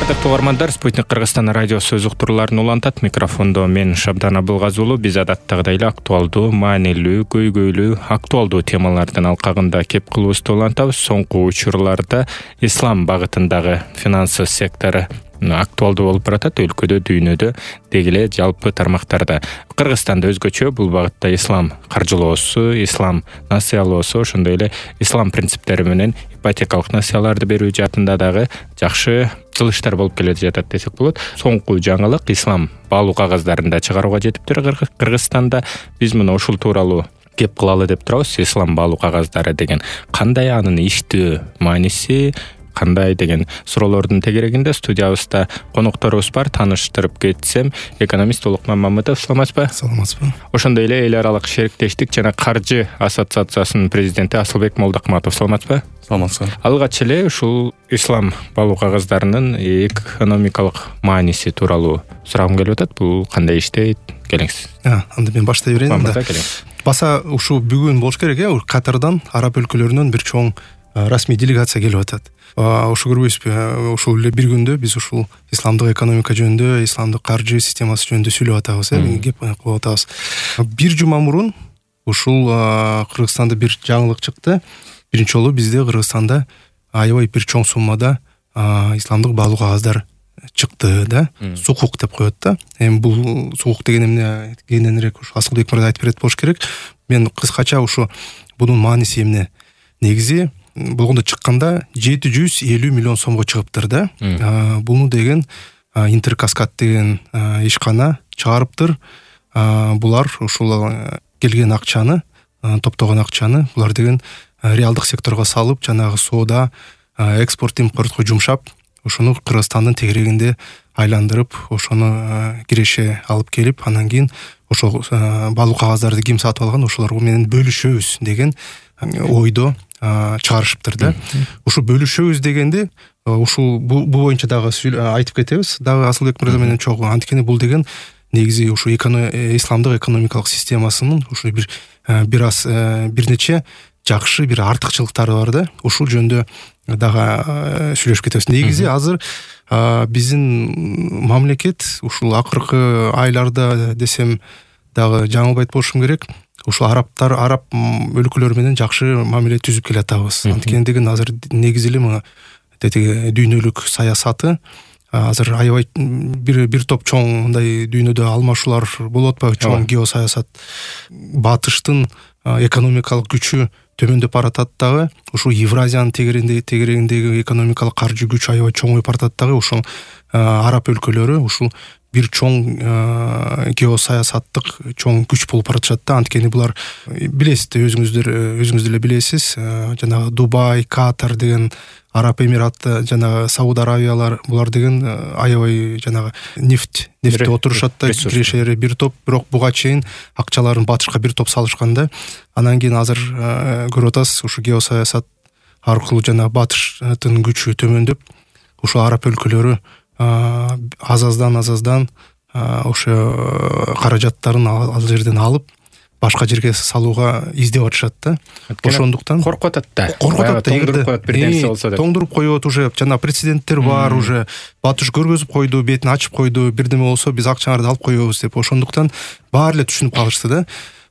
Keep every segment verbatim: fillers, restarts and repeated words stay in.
Ардактуу угармандар, Спутник Кыргызстан радиосу өз уктурууларын улантат. Микрофондо мен Шабдан Абылгазы уулу. Биз адаттагыдай эле актуалдуу, маанилүү, көйгөйлүү, актуалдуу темалардын алкагында кеп кылуубузду улантабыз. Соңку учурларда ислам багытындагы финансы сектору актуалдуу болуп баратат. Өлкөдө, дүйнөдө, деги эле жалпы тармактарда. Кыргызстанда өзгөчө бул багытта ислам каржылоосу, ислам насыялоосу, ошондой эле ислам принциптери менен ипотекалык насыяларды берүү жаатында дагы жакшы кылыштар болуп келе жатат десек болот. Соңку жаңылык ислам баалуу кагаздарын да чыгарууга жетиптир Кыргызстанда. Биз мына ушул тууралуу кеп кылалы деп турабыз. Ислам баалуу кагаздары деген кандай, анын иштөө мааниси кандай деген суроолордун тегерегинде студиябызда конокторубуз бар. Тааныштырып кетсем, экономист Улукман Мамытов. Саламатсызбы? Саламатсызбы. Ошондой эле эл аралык шериктештик жана каржы ассоциациясынын президенти Асылбек Молдокматов. Саламатсызбы? Саламатсызбы. Алгач эле ушул ислам баалуу кагаздарынын экономикалык мааниси тууралуу сурагым келип атат. Бул кандай иштейт? Келиңиз. Анда мен баштай берейин. Баса ушул бүгүн болуш керек, э, Катардан, араб өлкөлөрүнөн бир чоң расмий делегация келип атат. Ошо көрбөйсүзбү? Ушул эле бир күндө биз ушул исламдык экономика жөнүндө, исламдык каржы системасы жөнүндө сүйлөп атабыз, э, кеп кылып атабыз. Бир жума мурун ушул Кыргызстанда бир жаңылык чыкты. Биринчи жолу бизде Кыргызстанда аябай бир чоң суммада исламдык баалуу кагаздар чыкты да. Сукук деп коет да. Эми бул сукук деген эмне кененирээк ушу Асылбек мырза айтып берет болуш керек. Мен кыскача ушу бунун мааниси эмне? Негизи болгондо чыкканда жети жүз элүү миллион сомго чыгыптыр да. Буну деген Интеркаскад деген ишкана чыгарыптыр. Булар ушул келген акчаны, топтогон акчаны булар деген реалдык секторго салып, жанагы соода, экспорт импортко жумшап, ошону Кыргызстандын тегерегинде айландырып, ошону киреше алып келип, анан кийин ошол баалуу кагаздарды ким сатып алган, ошолор менен бөлүшөбүз деген ойдо чыгарышыптыр да. Ушу бөлүшөбүз дегенде ушул бул боюнча дагы айтып кетебиз. Дагы Асылбек мырза менен чогуу. Анткени бул деген негизи ушу исламдык экономикалык системасынын ушу бир бир аз бир нече жакшы бир артыкчылыктары бар да. Ушул жөнүндө дагы сүйлөшүп кетебиз. Негизи азыр биздин мамлекет ушул акыркы айларда десем дагы жаңылбайт болушум керек. Ушул арабтар, араб өлкөлөр менен жакшы мамиле түзүп келатабыз. Анткени деген азыр негизи эле мына тетиги дүйнөлүк саясаты азыр аябай бир бир топ чоң мындай дүйнөдө алмашуулар болуп атпайбы? Чоң геосаясат. Батыштын экономикалык күчү төмөндөп баратат дагы. Ушул Евразиянын тегерегиндеги тегерегиндеги экономикалык каржы күч аябай чоңоюп баратат дагы. Ушул араб өлкөлөрү ушул бир чоң геосаясаттык чоң күч болуп баратышат да. Анткени булар билесиздер, өзүңүздөр өзүңүз деле билесиз, жанагы Дубай, Катар деген Араб Эмираты, жанагы Сауд Аравиялар, булар деген аябай жанагы нефть, нефтте отурушат да, кирешери бир топ, бирок буга чейин акчаларын батышка бир топ салышкан да. Анан кийин азыр көрүп атасыз, ушу геосаясат аркылуу жанагы батыштын күчү төмөндөп, ушу араб өлкөлөрү аз-аздан аз-аздан ошо каражаттарын ал жерден алып башка жерге салууга издеп атышат да. Ошондуктан коркуп атат да. Коркуп атат да. Тоңдуруп коет бир нерсе болсо деп. Тоңдуруп коет, уже жана прецеденттер бар, уже батыш көргөзүп койду, бетин ачып койду, бирдеме болсо биз акчаңарды алып коебуз деп. Ошондуктан баары эле түшүнүп калышты да.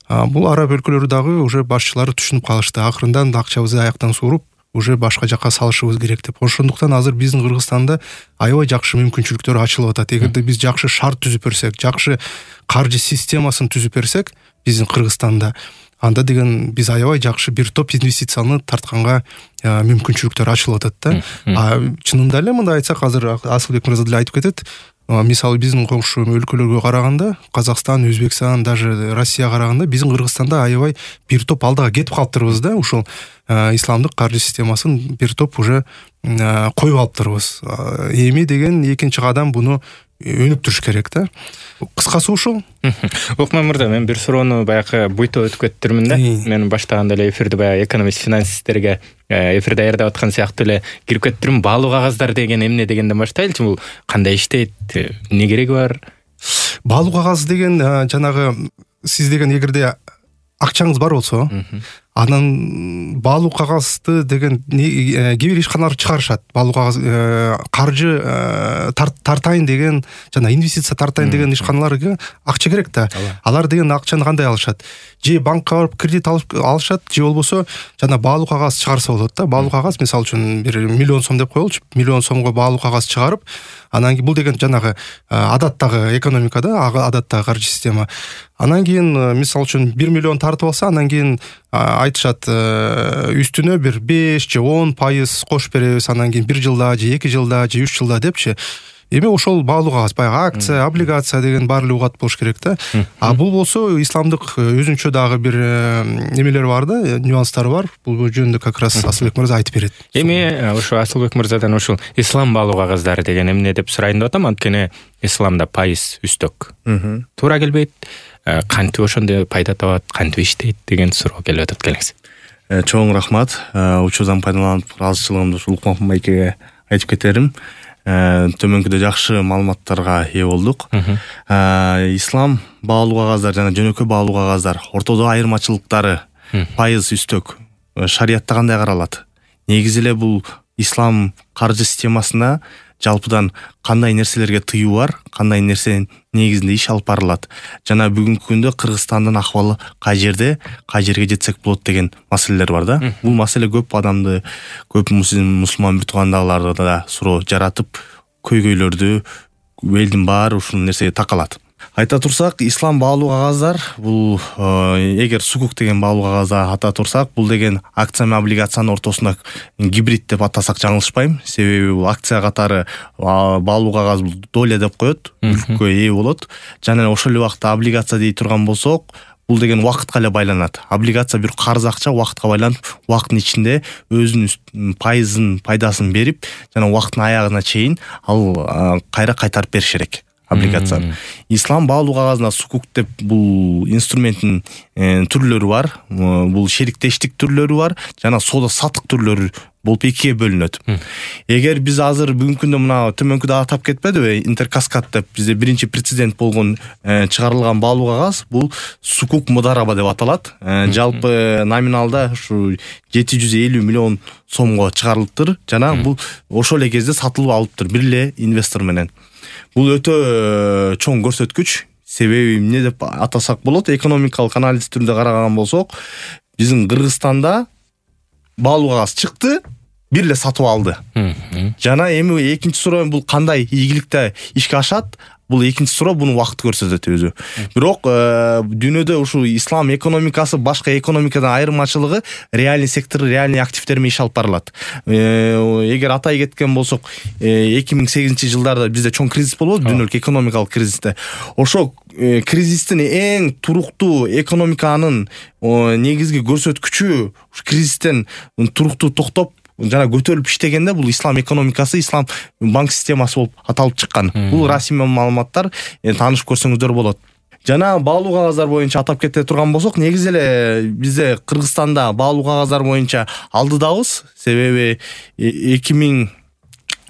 Бул араб өлкөлөрү дагы уже башчылары түшүнүп калышты. Акырындан акчабызды аяктан сууруп, уже башка жака салышыбыз керек деп. Ошондуктан азыр биздин Кыргызстанда аябай жакшы мүмкүнчүлүктөр ачылып атат. Эгерде биз жакшы шарт түзүп берсек, жакшы каржы системасын түзүп берсек, биздин Кыргызстанда, анда деген биз аябай жакшы бир топ инвестицияны тартканга мүмкүнчүлүктөр ачылып атат да. Чынында эле мындай айтсак, азыр Асылбек мырза деле айтып кетет. Мисалы биздин коңшу өлкөлөргө караганда, Казакстан, Өзбекстан, даже Россияга караганда биздин Кыргызстанда аябай бир топ алдыга кетип калыптырбыз да. Ушул исламдык каржы системасын бир топ уже коюп алыптырбыз. Эми деген экинчи кадам буну өнүктүрүш керек да. Кыскасы ушул. Улукман мырза, мен бир суроону баягы буйта өтүп кеттирмин да. Мен баштаганда эле эфирди баягы экономист финансисттерге эфирде даярдап аткан сыяктуу эле кирип кеттирим. Баалуу кагаздар деген эмне дегенден баштайлычы. Бул кандай иштейт? Эмне кереги бар? Баалуу кагаз деген жанагы сиз деген эгерде акчаңыз бар болсо, анан баалуу кагазды деген кээ бир ишканалар чыгарышат. Баалуу кагаз каржы тартайын деген жана инвестиция тартайын деген ишканаларга акча керек да. Алар деген акчаны кандай алышат? Же банкка барып кредит алып алышат, же болбосо жана баалуу кагаз чыгарса болот да. Баалуу кагаз мисалы үчүн бир миллион сом деп коелучу. Миллион сомго баалуу кагаз чыгарып, анан кийин бул деген жанагы адаттагы экономика да, адаттагы каржы система. Анан кийин мисалы үчүн бир миллион тартып алса, анан кийин айтышат үстүнө бир беш же он пайыз кош беребиз, анан кийин бир жылда же эки жылда же үч жылда депчи. Эми ошол баалуу кагаз, баягы акция, облигация деген баары угат болуш керек да. А бул болсо исламдык өзүнчө дагы бир немелер бар да, нюанстары бар. Бул жөнүндө как раз Асылбек мырза айтып берет. Эми ошо Асылбек мырзадан ушул ислам баалуу кагаздары деген эмне деп сурайын деп атам, анткени исламда пайыз үстөк. Туура келбейт. Кантип ошондой пайда табат, кантип иштейт деген суроо келип атат, келиңиз. Чоң рахмат. Учурдан пайдаланып ыраазычылыгымды ушул Лукман майкеге айтып кетерим. Төмөнкүдө жакшы маалыматтарга ээ болдук. Ислам баалуу кагаздар жана жөнөкөй баалуу кагаздар ортодо айырмачылыктары пайыз үстөк шариятта кандай каралат? Негизи эле бул ислам каржы системасында жалпыдан кандай нерселерге тыюу бар, кандай нерсе негизинде иш алып барылат. Жана бүгүнкү күндө Кыргызстандын акыбалы кай жерде, кай жерге жетсек болот деген маселелер бар да. Бул маселе көп адамды, көп мусулман бир туугандарларды да суроо жаратып, көйгөйлөрдү элдин баары ушул нерсеге такалат. Айта турсак, ислам баалуу кагаздар бул эгер сукук деген баалуу кагазды ата турсак, бул деген акция менен облигациянын ортосунда гибрид деп атасак жаңылышпайм. Себеби бул акция катары баалуу кагаз бул доля деп коет, мүлккө ээ болот. Жана ошол эле убакта облигация дей турган болсок, бул деген убакытка эле байланат. Облигация бир карыз акча убакытка байланып, убакыттын ичинде өзүнүн пайызын, пайдасын берип, жана убакыттын аягына чейин ал кайра кайтарып бериш керек. Облигация. Ислам баалуу кагазына сукук деп бул инструменттин түрлөрү бар. Бул шериктештик түрлөрү бар, жана соода саттык түрлөрү болуп экиге бөлүнөт. Эгер биз азыр бүгүнкү күндө мына төмөнкүдө атап кетпедиби, интеркаскад деп бизде биринчи прецедент болгон чыгарылган баалуу кагаз, бул сукук мудараба деп аталат. Жалпы номиналда ушу жети жүз элүү миллион сомго чыгарылыптыр, жана бул ошол эле кезде сатылып алыптыр бир эле инвестор менен. Бул өтө чоң көрсөткүч. Себеби эмне деп атасак болот? Экономикалык анализ түрүндө караган болсок, биздин Кыргызстанда баалуу кагаз чыкты, бир эле сатып алды. Жана эми экинчи суроо бул кандай ийгиликте ишке ашат? Бул экинчи суроо, буну убакыт көрсөтөт өзү. Бирок дүйнөдө ушул ислам экономикасы башка экономикадан айырмачылыгы реальный сектор, реальный активдер менен иш алып барылат. Эгер атай кеткен болсок, эки миң сегизинчи жылдарда бизде чоң кризис болду, дүйнөлүк экономикалык кризисте. Ошо кризистин эң туруктуу экономиканын негизги көрсөткүчү кризистен туруктуу токтоп жана көтөрүлүп иштегенде бул ислам экономикасы, ислам банк системасы болуп аталып чыккан. Бул расмий маалыматтар, таанышып көрсөңүздөр болот. Жана баалуу кагаздар боюнча атап кете турган болсок, негизи эле бизде Кыргызстанда баалуу кагаздар боюнча алдыдабыз. Себеби эки миң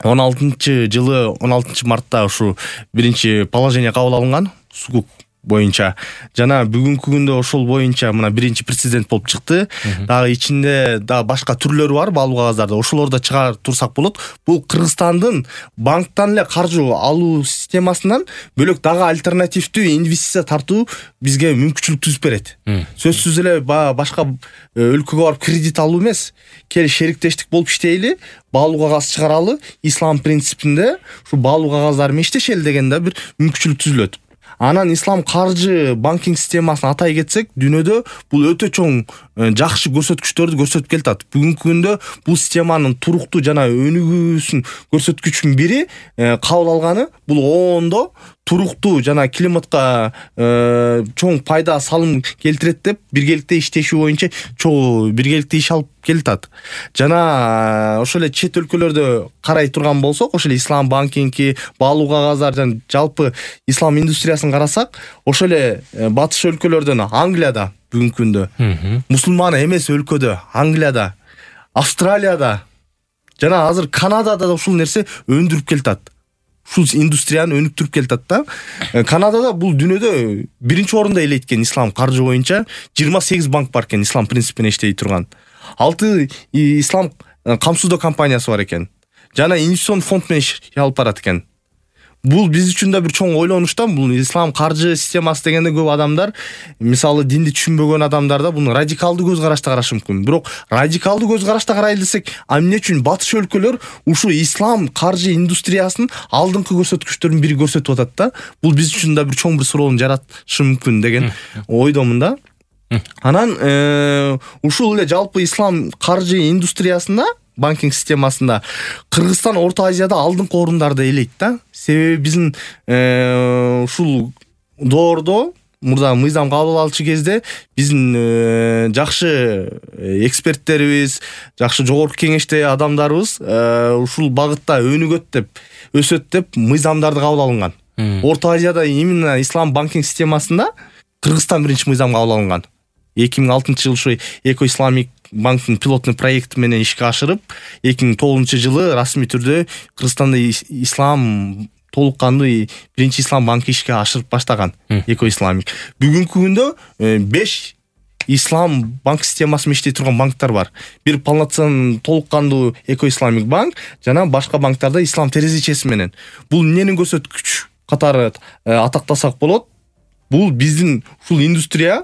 он алтынчы жылы он алтынчы мартта ушу биринчи положение кабыл алынган сукук боюнча. Жана бүгүнкү күндө ошол боюнча мына биринчи прецедент болуп чыкты. Дагы ичинде дагы башка түрлөрү бар баалуу кагаздарда. Ошолорду чыгарып турсак болот. Бул Кыргызстандын банктан эле каржы алуу системасынан бөлөк дагы альтернативдүү инвестиция тартуу бизге мүмкүнчүлүк түзүп берет. Сөзсүз эле башка өлкөгө барып кредит алуу эмес, кел шериктештик болуп иштейли, баалуу кагаз чыгаралы, ислам принципинде ушу баалуу кагаздар менен иштешели дегенде бир мүмкүнчүлүк түзүлөт. Анан ислам каржы банкинг системасын атай кетсек, дүйнөдө бул өтө чоң жакшы көрсөткүчтөрдү көрсөтүп келатат. Бүгүнкү күндө бул системанын туруктуу жана өнүгүүсүн көрсөткүчүнүн бири кабыл алганы бул оондо туруктуу жана климатка чоң пайда салым келтирет деп биргеликте иштешүү боюнча чоң биргеликте иш алып келатат. Жана ошол эле чет өлкөлөрдө карай турган болсок, ошол эле ислам банкинги, баалуу кагаздар жана жалпы ислам индустриясын карасак, ошол эле батыш өлкөлөрдөн Англияда бүгүнкү күндө, мусулман эмес өлкөдө, Англияда, Австралияда жана азыр Канадада да ушул нерсе өндүрүп келатат. ушул индустрияны өнүктүрүп келатат да. Канадада бул дүйнөдө биринчи орунда элейт экен ислам каржы боюнча. жыйырма сегиз банк бар экен ислам принципине иштей турган. алты ислам камсыздоо компаниясы бар экен. Жана инвестицион фонд менен иш алып барат экен. Бул биз үчүн да бир чоң ойлонуштан. Бул ислам каржы системасы дегенде көп адамдар, мисалы динди түшүнбөгөн адамдар да буну радикалдуу көз карашта карашы мүмкүн. Бирок радикалдуу көз карашта карайлы десек, а эмне үчүн батыш өлкөлөр ушу ислам каржы индустриясынын алдыңкы көрсөткүчтөрүн бири көрсөтүп атат да. Бул биз үчүн да бир чоң бир суроону жаратышы мүмкүн деген ойдомун да. Анан ушул эле жалпы ислам каржы индустриясында, банкинг системасында Кыргызстан Орто Азияда алдыңкы орундарды элейт да. Себеби биздин ушул доордо мурда мыйзам кабыл алчу кезде биздин жакшы эксперттерибиз, жакшы жогорку кеңеште адамдарыбыз ушул багытта өнүгөт деп, өсөт деп мыйзамдарды кабыл алынган. Орто Азияда именно ислам банкинг системасында Кыргызстан биринчи мыйзам кабыл алынган. эки миң алтынчы жыл ушу Эко Исламик банктын пилоттук проекти менен ишке ашырып, эки миң тогузунчу жылы расмий түрдө Кыргызстанда ислам толук кандуу биринчи ислам банкы ишке ашырып баштаган Эко Исламик. Бүгүнкү күндө беш ислам банк системасы менен иштей турган банктар бар. Бир полноценный толук кандуу Эко Исламик банк жана башка банктарда ислам терезечеси менен. Бул эмнени көрсөткүч катары атактасак болот? Бул биздин ушул индустрия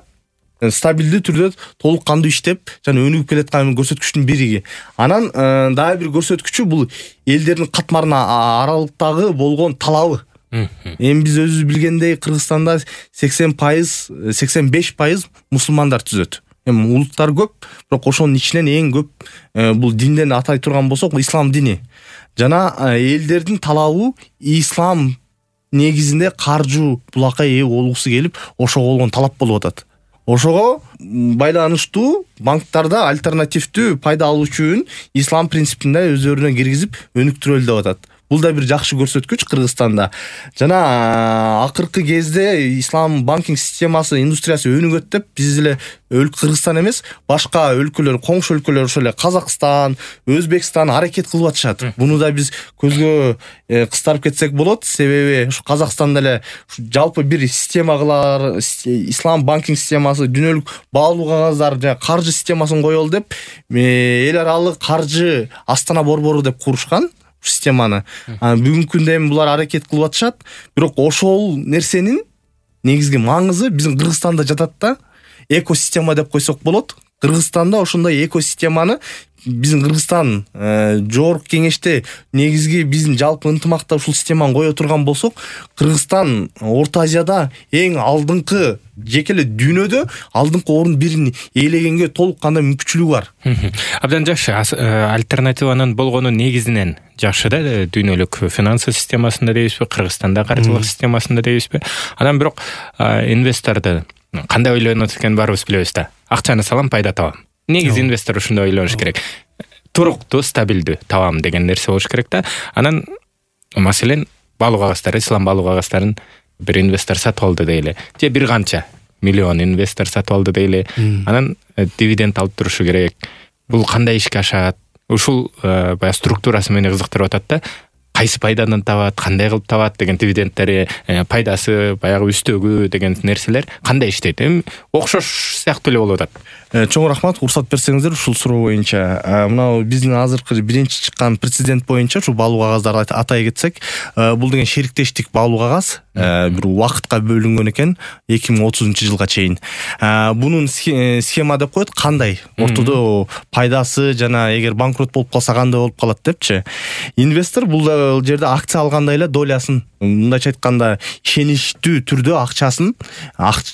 стабилдүү түрдө толук кандуу иштеп жана өнүгүп келаткан көрсөткүчтүн бириги. Анан дагы бир көрсөткүчү бул элдердин катмарына аралыктагы болгон талабы. Эми биз өзүбүз билгендей Кыргызстанда сексен пайыз, сексен беш пайыз мусулмандар түзөт. Эми улуттар көп, бирок ошонун ичинен эң көп бул динден атай турган болсок ислам дини. Жана элдердин талабы ислам негизинде каржы булакка ээ болгусу келип, ошого болгон талап болуп атат. Ошого байланыштуу банктарда альтернативдүү пайда алуучу үчүн ислам принципинде өздөрүнө киргизип өнүктүрөлү деп атат. Бул да бир жакшы көрсөткүч Кыргызстанда. Жана акыркы кезде ислам банкинг системасы индустриясы өнүгөт деп биз эле Кыргызстан эмес, башка өлкөлөр, коңшу өлкөлөр, ошол эле Казакстан, Өзбекстан аракет кылып атышат. Буну да биз көзгө кыстарып кетсек болот. Себеби ушу Казакстанда эле жалпы бир система кылар, ислам банкинг системасы, дүйнөлүк баалуу кагаздар жана каржы системасын коелу деп эл аралык каржы Астана борбору деп курушкан системаны. Бүгүнкү күндө эми булар аракет кылып атышат. Бирок ошол нерсенин негизги маңызы биздин Кыргызстанда жатат да. Экосистема деп койсок болот. Кыргызстанда ошондой экосистеманы биздин Кыргызстан жогорку кеңеште негизги биздин жалпы ынтымакта ушул системаны кое турган болсок, Кыргызстан Орто Азияда эң алдыңкы, жеке эле дүйнөдө алдыңкы орун бирин ээлегенге толук кандай мүмкүнчүлүгү бар. Абдан жакшы. Альтернативанын болгону негизинен жакшы да, дүйнөлүк финансы системасында дейбизби, Кыргызстанда каржылык системасында дейбизби. Анан бирок инвесторду кандай ойлонот экенин баарыбыз билебиз да. Акчаны салам, пайда табам. Негизи инвестор ушундай ойлонуш керек. Туруктуу, стабилдүү табам деген нерсе болуш керек да. Анан маселен баалуу кагаздар, ислам баалуу кагыздарын бир инвестор сатып алды дейли. Же бир канча миллион инвестор сатып алды дейли. Анан дивиденд алып турушу керек. Бул кандай ишке ашат? Ушул баягы структурасы мени кызыктырып атат да. Кайсы пайдадан табат, кандай кылып табат деген дивидендтери, пайдасы, баягы үстөгү деген нерселер кандай иштейт? Эми окшош сыяктуу эле болуп атат. Чоң рахмат, уруксат берсеңиздер ушул суроо боюнча. Мына биздин азыркы биринчи чыккан прецедент боюнча ушу баалуу кагаздарды атай кетсек, бул деген шериктештик баалуу кагаз бир убакытка бөлүнгөн экен эки миң отузунчу жылга чейин. Бунун схема деп коет, кандай ортодо пайдасы жана эгер банкрот болуп калса кандай болуп калат депчи. Инвестор бул жерде акция алгандай эле долясын, мындайча айтканда ишеничтүү түрдө акчасын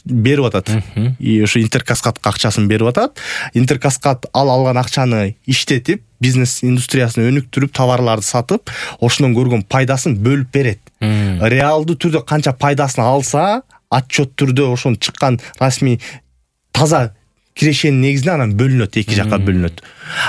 берип атат. И ошо Интеркаскадка акчасын берип атат. Интеркаскад ал алган акчаны иштетип, бизнес индустриясын өнүктүрүп, товарларды сатып, ошондон көргөн пайдасын бөлүп берет. Реалдуу түрдө канча пайдасын алса, отчет түрдө ошон чыккан расмий таза кирешенин негизинде анан бөлүнөт, эки жакка бөлүнөт.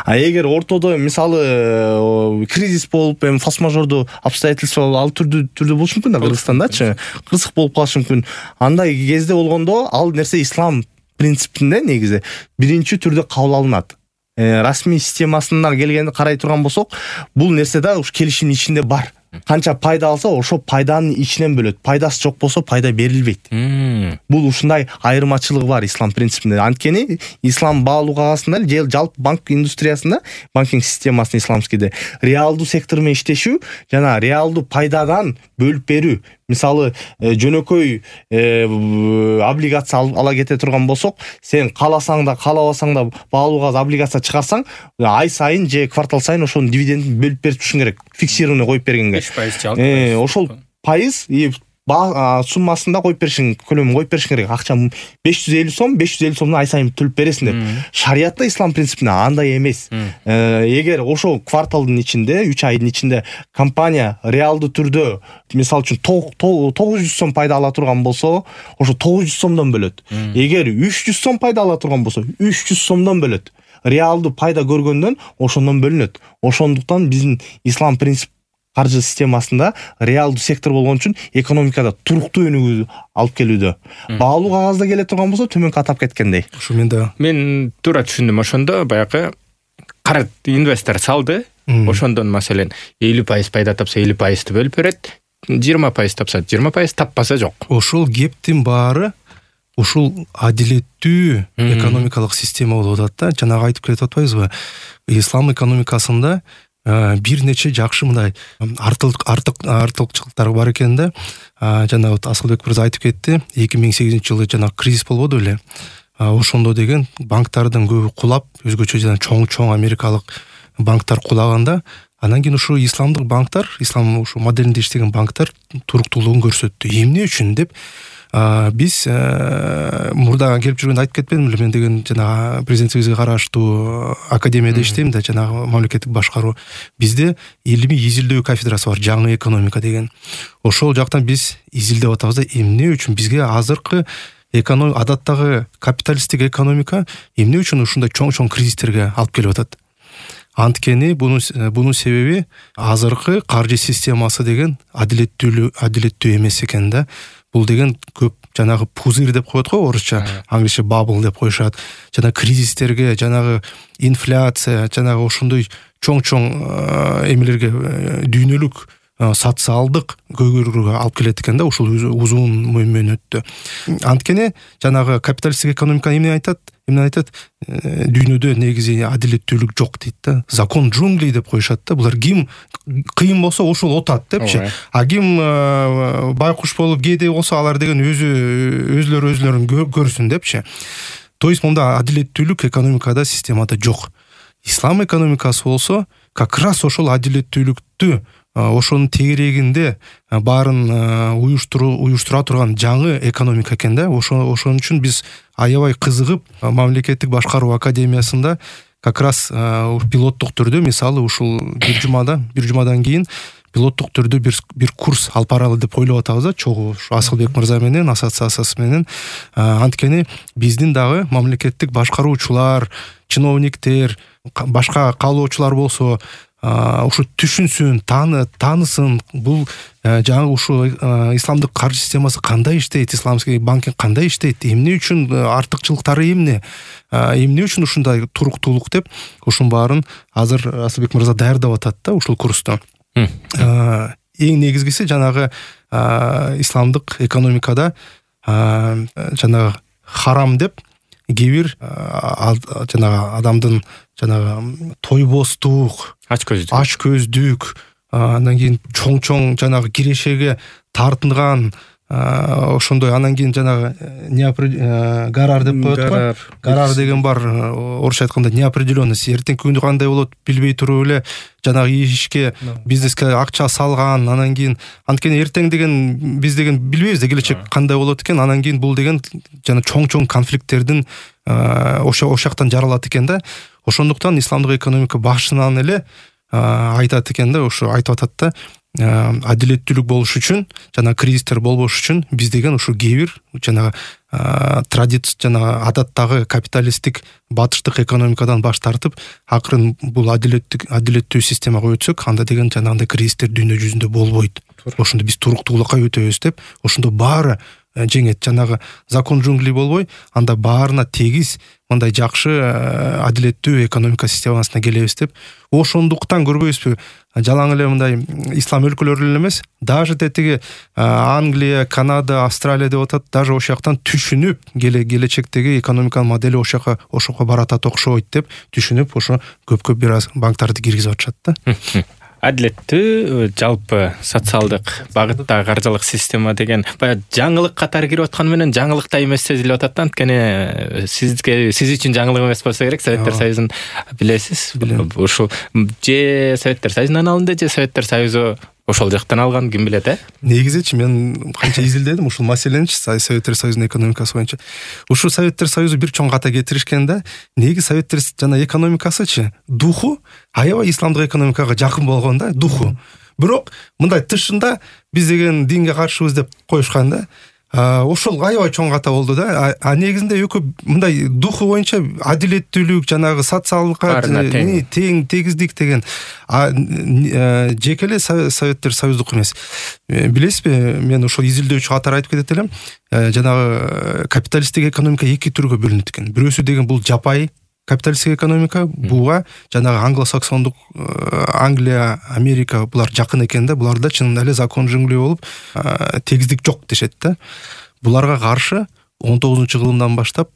А эгер ортодо мисалы кризис болуп, эми форс-мажордуу обстоятельства ал түрдүү түрдө болушу мүмкүн да, Кыргызстандачы кырсык болуп калышы мүмкүн. Андай кезде болгондо ал нерсе ислам принципинде негизи биринчи түрдө кабыл алынат. Расмий системасына келгенде карай турган болсок, бул нерсе да уш келишимдин ичинде бар. канча пайда алса ошо пайданын ичинен бөлөт. Пайдасы жок болсо пайда берилбейт. Бул ушундай айырмачылыгы бар ислам принципинде. Анткени ислам баалуу кагасында же жалпы банк индустриясында, банкинг системасында исламскийде реалдуу сектор менен иштешүү жана реалдуу пайдадан бөлүп берүү. Мисалы, жөнөкөй облигация ала кете турган болсок, сен кааласаң да, каалабасаң да баалуу кагаз облигация чыгарсаң, ай сайын же квартал сайын ошонун дивидендин бөлүп берип турушуң керек. Фиксированный коюп бергенге. беш пайыз же алты пайыз. Ошол пайыз суммасында коюп беришиң, көлөмүн коюп беришиң керек. Акча беш жүз элүү сом, беш жүз элүү сомдон ай сайын төлөп бересиң деп. Шариятта ислам принципинде андай эмес. Эгер ошол кварталдын ичинде, үч айдын ичинде компания реалдуу түрдө, мисалы үчүн тогуз жүз сом пайда ала турган болсо, ошо тогуз жүз сомдон бөлөт. Эгер үч жүз сом пайда ала турган болсо, үч жүз сомдон бөлөт. Реалдуу пайда көргөндөн ошондон бөлүнөт. Ошондуктан биздин ислам принцип каржы системасында реалдуу сектор болгон үчүн экономикада туруктуу өнүгүү алып келүүдө. Баалуу кагазда келе турган болсо төмөнкү атап кеткендей. Ушу мен да мен туура түшүндүм. Ошондо баягы карат инвестор салды. Ошондон маселен элүү пайыз пайда тапса элүү пайызды бөлүп берет. жыйырма пайыз тапса жыйырма пайыз, таппаса жок. Ошол кептин баары ушул адилеттүү экономикалык система болуп атат да. Жанагы айтып кетип атпайбызбы? Ислам экономикасында бир нече жакшы мындай артык артык артыкчылыктар бар экен да. Жана Асылбек мырза айтып кетти, эки миң сегизинчи жылы жана кризис болбоду беле. Ошондо деген банктардын көбү кулап, өзгөчө жана чоң-чоң америкалык банктар кулаганда, анан кийин ушу исламдык банктар, ислам ушу моделинде иштеген банктар туруктуулугун көрсөттү. Эмне үчүн деп биз мурда келип жүргөндө айтып кетпедимби эле, мен деген жана президентибизге караштуу академияда иштейм да, жана мамлекеттик башкаруу. Бизде илимий изилдөө кафедрасы бар, жаңы экономика деген. Ошол жактан биз изилдеп атабыз да, эмне үчүн бизге азыркы экономика, адаттагы капиталисттик экономика эмне үчүн ушундай чоң-чоң кризистерге алып келип атат? Анткени бунун бунун себеби азыркы каржы системасы деген адилеттүү адилеттүү эмес экен да. Бул деген көп жанагы пузырь деп коет го орусча, англисче bubble деп коюшат. Жана кризистерге, жанагы инфляция, жанагы ошондой чоң-чоң эмелерге, дүйнөлүк социалдык көйгөйлөргө алып келет экен да, ушул узун мөөнөттө. Анткени жанагы капиталисттик экономика эмне айтат? Эмне айтат? Дүйнөдө негизи адилеттүүлүк жок дейт да. Закон джунглей деп коюшат да. Булар ким кыйын болсо ошол отат депчи. А ким байкуш болуп кээде болсо алар деген өзү өзлөрү өзлөрүн көрсүн депчи. То есть монда адилеттүүлүк экономикада, системада жок. Ислам экономикасы болсо как раз ошол адилеттүүлүктү, ошонун тегерегинде баарын уюштуруу уюштура турган жаңы экономика экен да. Ошо ошон үчүн биз аябай кызыгып мамлекеттик башкаруу академиясында как раз пилоттук түрдө, мисалы ушул бир жумада, бир жумадан кийин пилоттук түрдө бир бир курс алып баралы деп ойлоп атабыз да, чогуу Асылбек мырза менен, ассоциациясы менен. Анткени биздин дагы мамлекеттик башкаруучулар, чиновниктер, башка каалоочулар болсо ушу түшүнсүн, тааны таанысын, бул жаңы ушу исламдык каржы системасы кандай иштейт, исламский банкинг кандай иштейт, эмне үчүн артыкчылыктары эмне, эмне үчүн ушундай туруктуулук деп, ушунун баарын азыр Асылбек мырза даярдап атат да ушул курсту. Эң негизгиси жанагы исламдык экономикада жанагы харам деп кээ бир жанагы адамдын жанагы тойбостук, ач көздүк, ач көздүк, анан кийин чоң-чоң жанагы кирешеге тартынган, ошондой анан кийин жанагы гарар деп коет го. Гарар деген бар, орусча айтканда неопределенность. Эртеңки күндү кандай болот билбей туруп эле жанагы ишке, бизнеске акча салган, анан кийин анткени эртең деген биз деген билбейбиз да, келечек кандай болот экен. Анан кийин бул деген жана чоң-чоң конфликттердин ошо ошактан жаралат экен да. Ошондуктан исламдык экономика башынан эле айтат экен да, ошо айтып атат да, адилеттүүлүк болуш үчүн жана кризистер болбош үчүн биз деген ушу кээ бир жана традиция жана адаттагы капиталисттик батыштык экономикадан баш тартып, акырын бул адилеттик адилеттүү системага өтсөк, анда деген жанагындай кризистер дүйнө жүзүндө болбойт. Ошондо биз туруктуулукка өтөбүз деп, ошондо баары жеңет. Жанагы закон джунглей болбой, анда баарына тегиз мындай жакшы адилеттүү экономика системасына келебиз деп. Ошондуктан көрбөйсүзбү, жалаң эле мындай ислам өлкөлөрү эле эмес, даже тетиги Англия, Канада, Австралия деп атат, даже ошол жактан түшүнүп, келечектеги экономиканын модели ошол жака ошого баратат окшойт деп түшүнүп, ошо көп-көп бир аз банктарды киргизип атышат да. Адилеттүү жалпы социалдык багытта каржылык система деген баягы жаңылык катары кирип атканы менен жаңылык да эмес сезилип атат да. Анткени сизге сиз үчүн жаңылык эмес болсо керек. Советтер Союзун билесиз. Ушул же Советтер Союзунан алынды, же Советтер Союзу ошол жактан алган, ким билет, э? Негизичи мен канча изилдедим ушул маселеничи, Советтер Союзунун экономикасы боюнча. Ушул Советтер Союзу бир чоң ката кетиришкен да. Неги Советтер жана экономикасычы духу аябай исламдык экономикага жакын болгон да, духу. Бирок мындай тышында биз деген динге каршыбыз деп коюшкан да. Ошол аябай чоң ката болду да. А негизинде экөө мындай духу боюнча адилеттүүлүк, жанагы социалдыкка тең тегиздик деген жеке эле Советтер Союздук эмес. Билесизби, мен ошол изилдөөчү катары айтып кетет элем. Жанагы капиталисттик экономика эки түргө бөлүнөт экен. Бирөөсү деген бул жапайы капиталисттик экономика, буга жанагы англосаксондук Англия, Америка булар жакын экен да, буларда чынында эле закон джунглей болуп, тегиздик жок дешет да. Буларга каршы он тогузунчу кылымдан баштап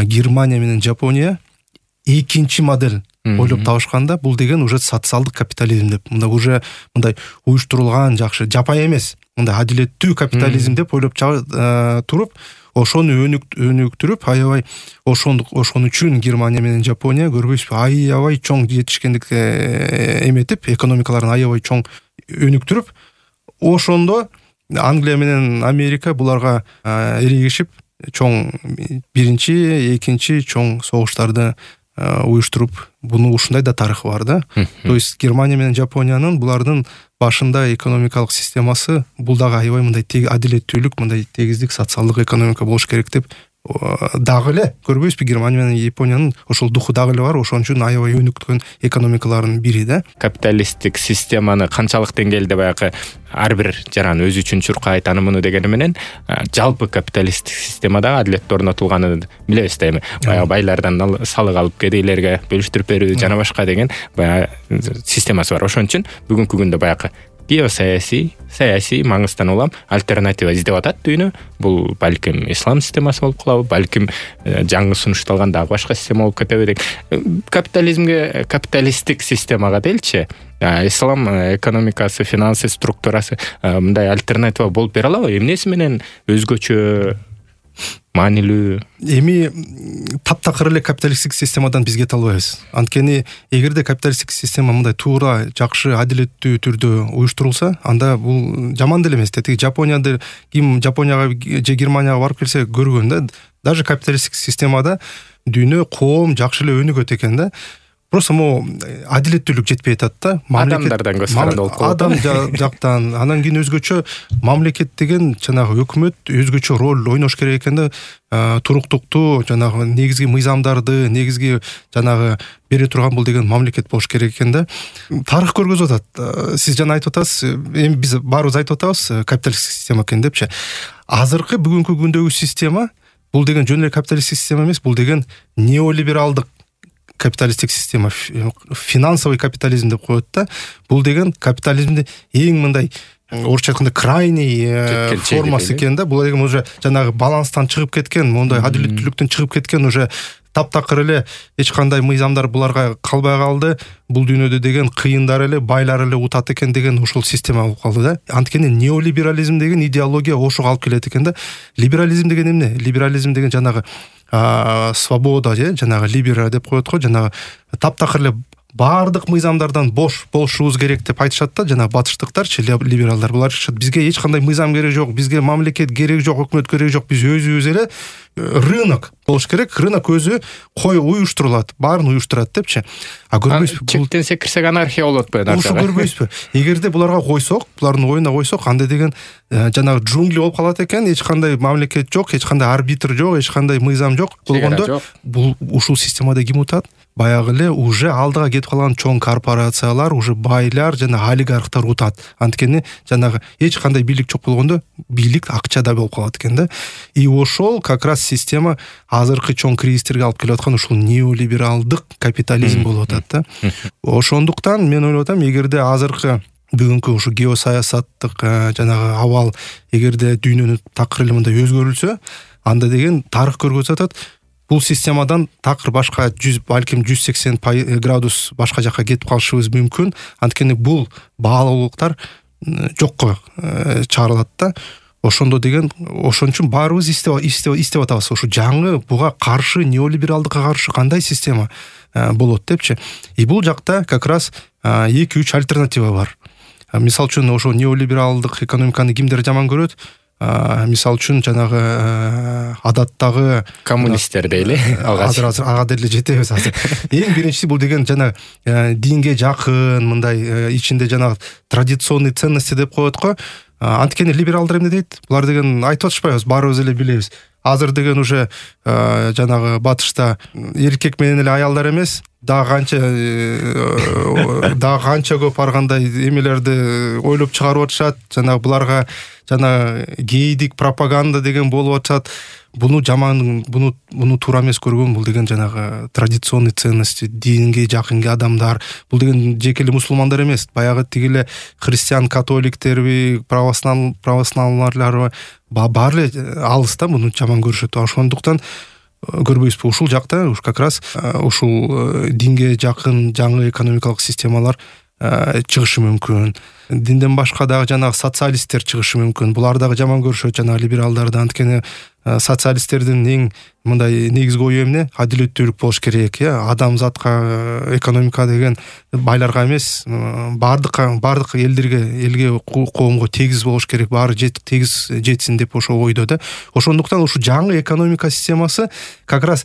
Германия менен Жапония экинчи модель ойлоп табышканда, бул деген уже социалдык капитализм деп. Мында уже мындай уюштурулган жакшы, жапайы эмес, мындай адилеттүү капитализм деп ойлоп туруп, ошону өнүктүрүп, аябай ошондук ошон үчүн Германия менен Жапония көрбөйсүзбү, аябай чоң жетишкендик эметип, экономикаларын аябай чоң өнүктүрүп, ошондо Англия менен Америка буларга эрегишип, чоң биринчи, экинчи чоң согуштарды уюштуруп, буну ушундай да тарыхы бар да. То есть Германия менен Жапониянын булардын башында экономикалык системасы бул дагы аябай мындай адилеттүүлүк, мындай тегиздик социалдык экономика болуш керек деп дагы эле көрбөйсүзбү, Германия менен Япониянын ошол духу дагы эле бар, ошон үчүн аябай өнүктүргөн экономикаларынын бири да. Капиталисттик системаны канчалык деңгээлде баягы ар бир жаран өзү үчүн чуркайт, аны муну дегени менен жалпы капиталисттик системада адилет орнотулганын билебиз да эми. Баягы байлардан салык алып кедейлерге бөлүштүрүп берүү жана башка деген баягы системасы бар. Ошон үчүн бүгүнкү күндө баягы геосаясий, саясий маңыздан улам альтернатива издеп атат дүйнө. Бул балким ислам системасы болуп калабы, балким жаңы сунушталган дагы башка система болуп кетеби деп. Капитализмге, капиталисттик системага делчи, ислам экономикасы, финансы структурасы мындай альтернатива болуп бере алабы? Эмнеси менен өзгөчө маанилүү? Эми таптакыр эле капиталисттик системадан биз кете албайбыз. Анткени эгерде капиталисттик система мындай туура, жакшы, адилеттүү түрдө уюштурулса, анда бул жаман деле эмес. Тетиги Жапонияда ким Жапонияга же Германияга барып келсе көргөн да, даже капиталисттик системада дүйнө, коом жакшы эле өнүгөт экен да. Просто мо адилеттүүлүк жетпей атат да. Адамдардан көз каранды болуп калат. Адам жактан, анан кийин өзгөчө мамлекет деген жанагы өкмөт өзгөчө роль ойнош керек экен да. Туруктукту, жанагы негизги мыйзамдарды, негизги жанагы бере турган бул деген мамлекет болуш керек экен да. Тарых көргөзүп атат. Сиз жана айтып атасыз, эми биз баарыбыз айтып атабыз капиталисттик система экен депчи. Азыркы бүгүнкү күндөгү система бул деген жөн эле капиталисттик система эмес, бул деген неолибералдык капиталисттик система, финансовый капитализм деп коет да. Бул деген капитализмди эң мындай орусча айтканда крайний формасы экен да. Бул деген уже жанагы баланстан чыгып кеткен, мондай адилеттүүлүктөн чыгып кеткен, уже таптакыр эле эч кандай мыйзамдар буларга калбай калды. Бул дүйнөдө деген кыйындар эле, байлар эле утат экен деген ошол система болуп калды да. Анткени неолиберализм деген идеология ошого алып келет экен да. Либерализм деген эмне? Либерализм деген жанагы свобода же жанагы либера деп коет го, жанагы таптакыр эле баардык мыйзамдардан бош болушубуз керек деп айтышат да. Жана батыштыктарчы, либералдар, булар айтышат, бизге эч кандай мыйзам керек жок, бизге мамлекет керек жок, өкмөт керек жок, биз өзүбүз эле рынок болуш керек, рынок өзү кой уюштурулат, баарын уюштурат депчи. А көрбөйсүзбү, чектенсе кирсек анархия болуп атпайбы? Ошо көрбөйсүзбү? Эгерде буларга койсок, булардын оюна койсок, анда деген жанагы джунгли болуп калат экен, эч кандай мамлекет жок, эч кандай арбитр жок, эч кандай мыйзам жок болгондо, бул ушул системада ким утат? баягы эле уже алдыга кетип калган чоң корпорациялар, уже байлар жана олигархтар утат. Анткени жанагы эч кандай бийлик жок болгондо бийлик акчада болуп калат экен да. И ошол как раз система азыркы чоң кризистерге алып келип аткан ушул неолибералдык капитализм болуп атат да. Ошондуктан мен ойлоп атам, эгерде азыркы бүгүнкү ушу геосаясаттык жанагы абал эгерде дүйнөнү такыр эле мындай өзгөрүлсө, анда деген тарых көргөзүп атат, бул системадан такыр башка жүз, балким жүз сексен градус башка жакка кетип калышыбыз мүмкүн. Анткени бул баалуулуктар жокко чыгарылат да. Ошондо деген, ошон үчүн баарыбыз иштеп иштеп атабыз. Ушу жаңы буга каршы, неолибералдыкка каршы кандай система болот депчи. И бул жакта как раз эки үч альтернатива бар. Мисал үчүн ошо неолибералдык экономиканы кимдер жаман көрөт? Мисал үчүн жанагы адаттагы коммунисттер дейли. Азыр азыр ага деле жетебиз азыр. Эң биринчиси бул деген жана динге жакын, мындай ичинде жанагы традиционный ценности деп коет го. Анткени либералдар эмне дейт? Булар деген айтып атышпайбыз, баарыбыз эле билебиз. Азыр деген уже жанагы батышта эркек менен эле аялдар эмес, дагы канча дагы канча көп ар кандай эмелерди ойлоп чыгарып атышат. Жанагы буларга жана гейдик пропаганда деген болуп атат. Буну жаман, буну буну туура эмес көргөн. Бул деген жанагы традиционный ценности, динге жакын адамдар. Бул деген жеке эле мусулмандар эмес, баягы тигиле христиан, католиктерби, православ православларларбы баары эле алыс да, буну жаман көрүшөт. Ошондуктан көрбөйсүзбү, ушул жакта уш как раз ушул динге жакын жаңы экономикалык системалар чыгышы мүмкүн. Динден башка дагы жанагы социалисттер чыгышы мүмкүн. Булар дагы жаман көрүшөт жанагы либералдарды. Анткени социалисттердин эң мындай негизги ою эмне? Адилеттүүлүк болуш керек, э? Адамзатка экономика деген байларга эмес, бардыкка, бардык элдерге, элге, коомго тегиз болуш керек, баары тегиз жетсин деп ошо ойдо да. Ошондуктан ушу жаңы экономика системасы как раз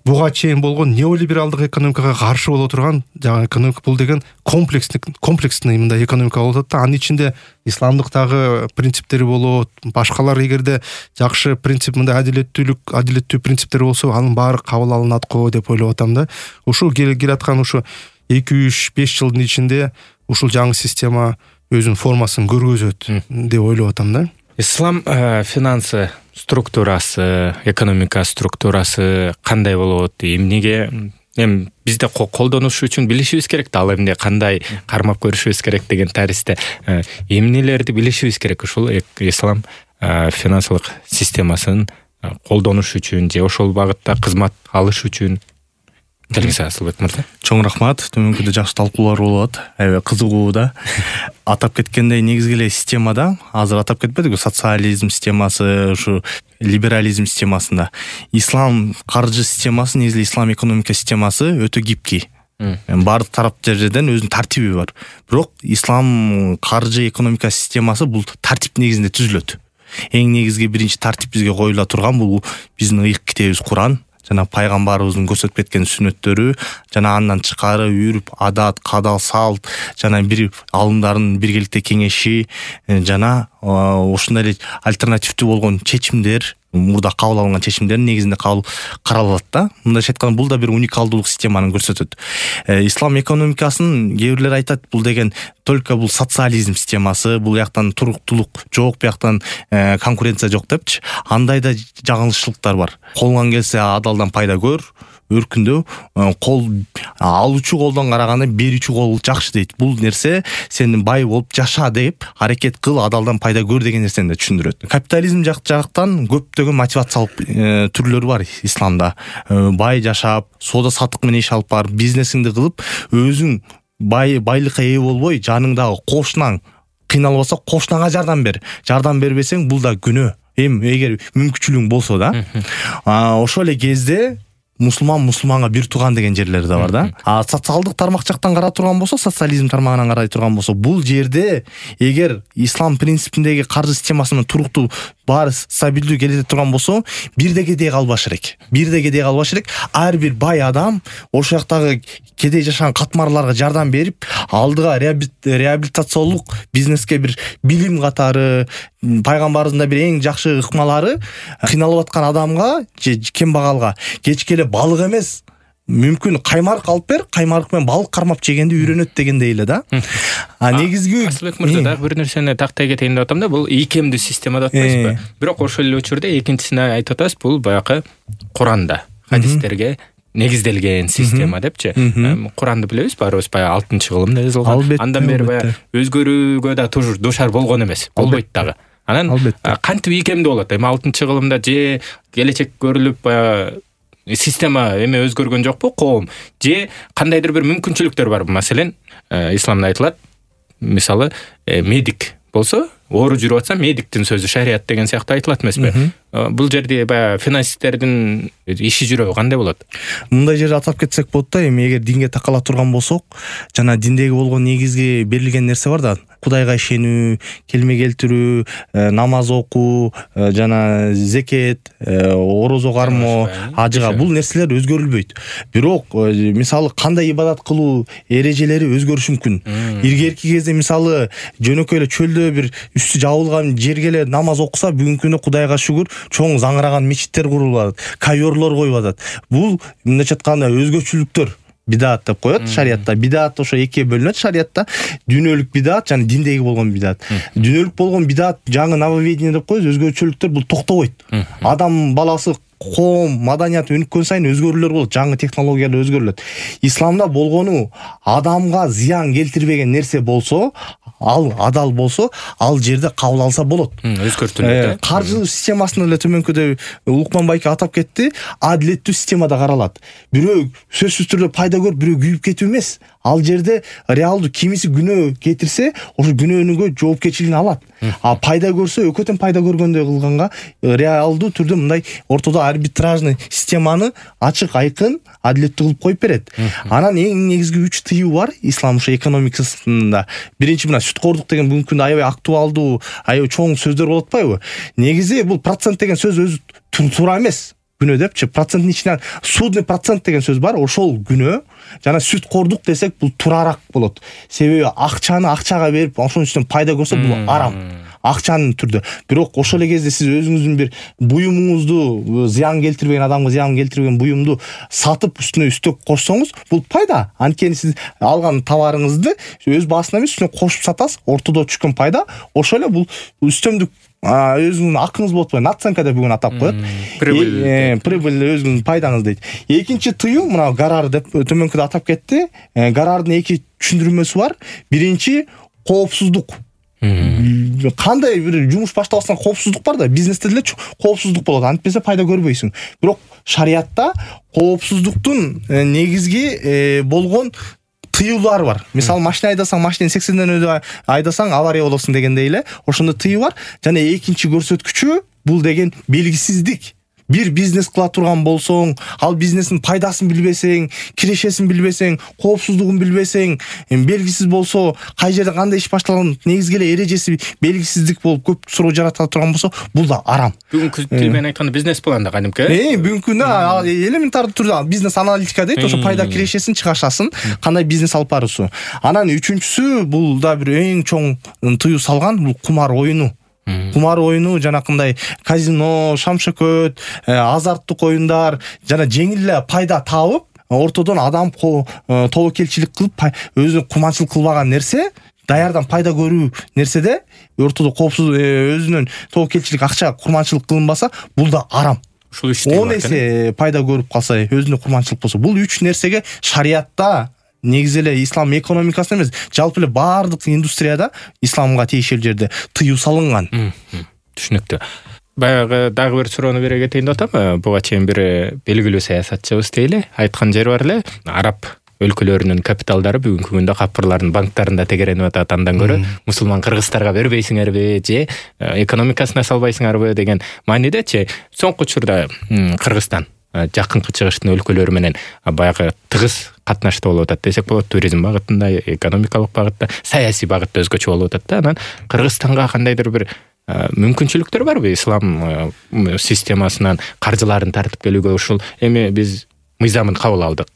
буга чейин болгон неолибералдык экономикага каршы боло турган жаңы экономика, бул деген комплексный комплексный мындай экономика болуп атат да. Анын ичинде исламдыктагы принциптери болот, башкалар эгерде жакшы принцип, мындай адилеттүүлүк, адилеттүү принциптер болсо, анын баары кабыл алынат го деп ойлоп атам да. Ушул келаткан ушу эки үч беш жылдын ичинде ушул жаңы система өзүнүн формасын көргөзөт деп ойлоп атам да. Ислам финансы структурасы, экономика структурасы кандай болот? Эмнеге эми бизде колдонуш үчүн билишибиз керек да, ал эмне, кандай кармап көрүшүбүз керек деген таристе эмнелерди билишибиз керек ушул ислам финансылык системасын колдонуш үчүн же ошол багытта кызмат алыш үчүн? Асылбек мырза. Чоң рахмат. Төмөнкүдө жакшы талкуулар болот. Аябай кызыгуу да. Атап кеткендей негизги эле системада, азыр атап кетпедикпи, социализм системасы, ушу либерализм системасында ислам каржы системасы, негизи ислам экономика системасы өтө гибкий. Бардык тарап жерден өзүнүн тартиби бар. Бирок ислам каржы экономика системасы бул тартип негизинде түзүлөт. Эң негизги биринчи тартип бизге коюла турган бул биздин ыйык китебибиз Куран. Жана пайгамбарыбыздын көрсөтүп кеткен сүннөттөрү, жана андан тышкары үрп, адат, кадал, салт, жана бир алымдардын биргеликте кеңеши, жана ошондой эле альтернативдүү болгон чечимдер, мурда кабыл алынган чечимдердин негизинде кабыл каралат да. Мындайча айтканда бул да бир уникалдуулук системаны көрсөтөт. Ислам экономикасын кээ бирлер айтат, бул деген только бул социализм системасы, бул жактан туруктуулук жок, бияктан конкуренция жок депчи. Андай да жаңылышчылыктар бар. Колуңан келсе адалдан пайда көр, өркүндө кол алуучу колдон караганда берүүчү кол жакшы дейт. Бул нерсе сен бай болуп жаша деп, аракет кыл, адалдан пайда көр деген нерсени да түшүндүрөт. Капитализм жактан көптөгөн мотивациялык түрлөрү бар исламда. Бай жашап, соода саттык менен иш алып бар, бизнесиңди кылып, өзүң бай байлыкка ээ болбой, жаныңдагы кошунаң кыйналып алса, кошунаңа жардам бер. Жардам бербесең, бул да күнөө. Эми эгер мүмкүнчүлүгүң болсо да, ошол эле кезде мусулман мусулманга бир тууган деген жерлер да бар да. А социалдык тармак жактан карап турган болсо, социализм тармагынан карай турган болсо, бул жерде эгер ислам принципиндеги каржы системасынын туруктуу баары стабилдүү келе турган болсо, бирде кедей калбаш керек. Бирде кедей калбаш керек. Ар бир бай адам ошол жактагы кедей жашаган катмарларга жардам берип, алдыга реабилитациялык бизнеске бир билим катары, пайгамбарыбыздын бир эң жакшы ыкмалары кыйналып аткан адамга же кембагалга кечке эле балык эмес, мүмкүн каймарык алып бер, каймарык менен балык кармап жегенди үйрөнөт дегендей эле да. А негизги Асылбек мырза дагы бир нерсени тактай кетейин деп атам да, бул ийкемдүү система деп атпайсызбы? Бирок ошол эле учурда экинчисине айтып атасыз, бул баягы Куранда, хадистерге негизделген система депчи. Куранды билебиз, баарыбыз баягы алтынчы кылымда жазылган. Андан бери баягы өзгөрүүгө да тур душар болгон эмес, болбойт дагы. Анан кантип ийкемдүү болот? Эми алтынчы кылымда же келечек көрүлүп баягы система эме өзгөргөн жокпу, коом же кандайдыр бир мүмкүнчүлүктөр барбы? Маселен, исламда айтылат, мисалы, медик болсо, оору жүрүп атса, медиктин сөзү шарият деген сыяктуу айтылат эмеспи? Бул жерде баягы финансисттердин иши жүрөбү кандай болот? Мындай жерде атап кетсек болот да, эми эгер динге такала турган болсок, жана диндеги болгон негизги берилген нерсе бар да, Кудайга ишенүү, келме келтирүү, намаз окуу, жана зекет, орозо кармоо, ажыга, бул нерселер өзгөрүлбөйт. Бирок, мисалы, кандай ибадат кылуу эрежелери өзгөрүшү мүмкүн. Илгерки кезде мисалы, жөнөкөй эле чөлдө бир үстү жабылган жерге эле намаз окуса, бүгүнкү күндө Кудайга шүгүр, чоң заңыраган мечиттер курулат, ковёрлор коюп атат. Бул мындайча айтканда өзгөчөлүктөр. Бидат деп коет шариятта. Бидат ошо экиге бөлүнөт шариятта. Дүйнөлүк бидат жана диндеги болгон бидат. Дүйнөлүк болгон бидат жаңы нововведение деп коебуз, өзгөчөлүктөр бул токтобойт. Адам баласы коом маданияты өнүккөн сайын өзгөрүүлөр болот, жаңы технологиялар өзгөрүлөт. Исламда болгону адамга зыян келтирбеген нерсе болсо, ал адал болсо, ал жерде кабыл алса болот. Өзгөртүлөт. Каржы системасында эле төмөнкүдө Улукман байке атап кетти, адилеттүү системада каралат. Бирөө сөзсүз түрдө пайда көрүп, бирөө күйүп кетүү эмес. Ал жерде реалдуу кимиси күнөө кетирсе, ошо күнөөнүгө жоопкерчилигин алат. А пайда көрсө, өкөтөн пайда көргөндөй кылганга реалдуу түрдө мындай ортодо арбитражный системаны ачык, айкын, адилеттүү кылып коюп берет. Анан эң негизги үч тыюу бар ислам ошо экономикасында. Биринчи мына сүткордук деген бүгүнкү күндө аябай актуалдуу, аябай чоң сөздөр болуп атпайбы? Негизи бул процент деген сөз өзү туура эмес. Күнөө депчи, проценттин ичинен судный процент деген сөз бар, ошол күнөө. Жана сүткордук десек бул турарак болот. Себеби акчаны акчага берип, ошонун үстүнөн пайда көрсө бул арам. Акчанын түрдө. Бирок ошол эле кезде сиз өзүңүздүн бир буюмуңузду, зыян келтирбеген адамга зыян келтирбеген буюмду сатып үстүнө үстөк кошсоңуз, бул пайда. Анткени сиз алган товарыңызды өз баасына эмес, үстүнө кошуп сатасыз, ортодо түшкөн пайда, ошол эле бул үстөмдүк өзүңүздүн акыңыз болуп атпайбы, наценка деп бүгүн атап коет. Прибыль, прибыль өзүңүздүн пайдаңыз дейт. Экинчи тыюу мына гарар деп төмөнкүдө атап кетти. Гарардын эки түшүндүрмөсү бар. Биринчи коопсуздук. Кандай бир жумуш баштабастан коопсуздук бар да, бизнесте деле коопсуздук болот, антпесе пайда көрбөйсүң. Бирок шариятта коопсуздуктун негизги болгон тыюулар бар. Мисалы, машина айдасаң, машинени сексенден өтө айдасаң авария болосуң дегендей эле, ошондой тыюу бар. Жана экинчи көрсөткүчү бул деген белгисиздик. Бир бизнес кыла турган болсоң, ал бизнестин пайдасын билбесең, кирешесин билбесең, коопсуздугун билбесең, белгисиз болсо, кай жерде кандай иш башталган негизги эле эрежеси белгисиздик болуп көп суроо жарата турган болсо, бул да арам. Бүгүнкү тил менен айтканда бизнес планда кадимки. Э, бүгүнкү күндө элементардуу түрдө бизнес аналитика дейт, ошо пайда кирешесин чыгашасың, кандай бизнес алып баруусу. Анан үчүнчүсү, бул да бир эң чоң тыюу салган, бул кумар оюну. Кумар оюну, жанакындай казино, шамшөкөт, азарттык оюндар, жана жеңил эле пайда табып, ортодон адам тобокелчилик кылып, өзү куманчылык кылбаган нерсе, даярдан пайда көрүү нерседе ортодо коопсуз өзүнүн тобокелчилик акча курманчылык кылынбаса, бул да арам. Ушул үчтөй он эсе пайда көрүп калса, өзүнө курманчылык болсо, бул үч нерсеге шариятта негизи эле ислам экономикасында эмес, жалпы эле баардык индустрияда исламга тиешелүү жерде тыюу салынган. Түшүнүктүү. Баягы дагы бир суроону бере кетейин деп атам. Буга чейин бир белгилүү саясатчыбыз дейли, айткан жери бар эле, араб өлкөлөрүнүн капиталдары бүгүнкү күндө капырлардын банктарында тегеренип атат, андан көрө мусулман кыргыздарга бербейсиңерби же экономикасына салбайсыңарбы деген маанидечи. Соңку учурда Кыргызстан жакынкы чыгыштын өлкөлөрү менен баягы тыгыз катнашты болуп атат десек болот. Туризм багытында, экономикалык багытта, саясий багытта өзгөчө болуп атат да. Анан Кыргызстанга кандайдыр бир мүмкүнчүлүктөр барбы ислам системасынан каржыларын тартып келүүгө? Ушул эми биз мыйзамын кабыл алдык.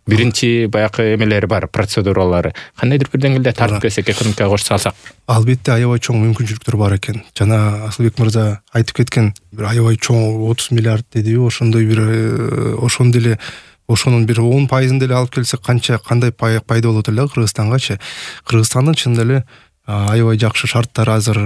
Биринчи баягы эмелери бар, процедуралары. Кандайдыр бир деңгээлде тартып келсек, экономикага кошо салсак. Албетте аябай чоң мүмкүнчүлүктөр бар экен. Жана Асылбек мырза айтып кеткен бир аябай чоң отуз миллиард дедиби, ошондой бир ошондой эле ошонун бир он пайызын деле алып келсек канча кандай пайда болот эле Кыргызстангачы. Кыргызстандын чынында эле аябай жакшы шарттар азыр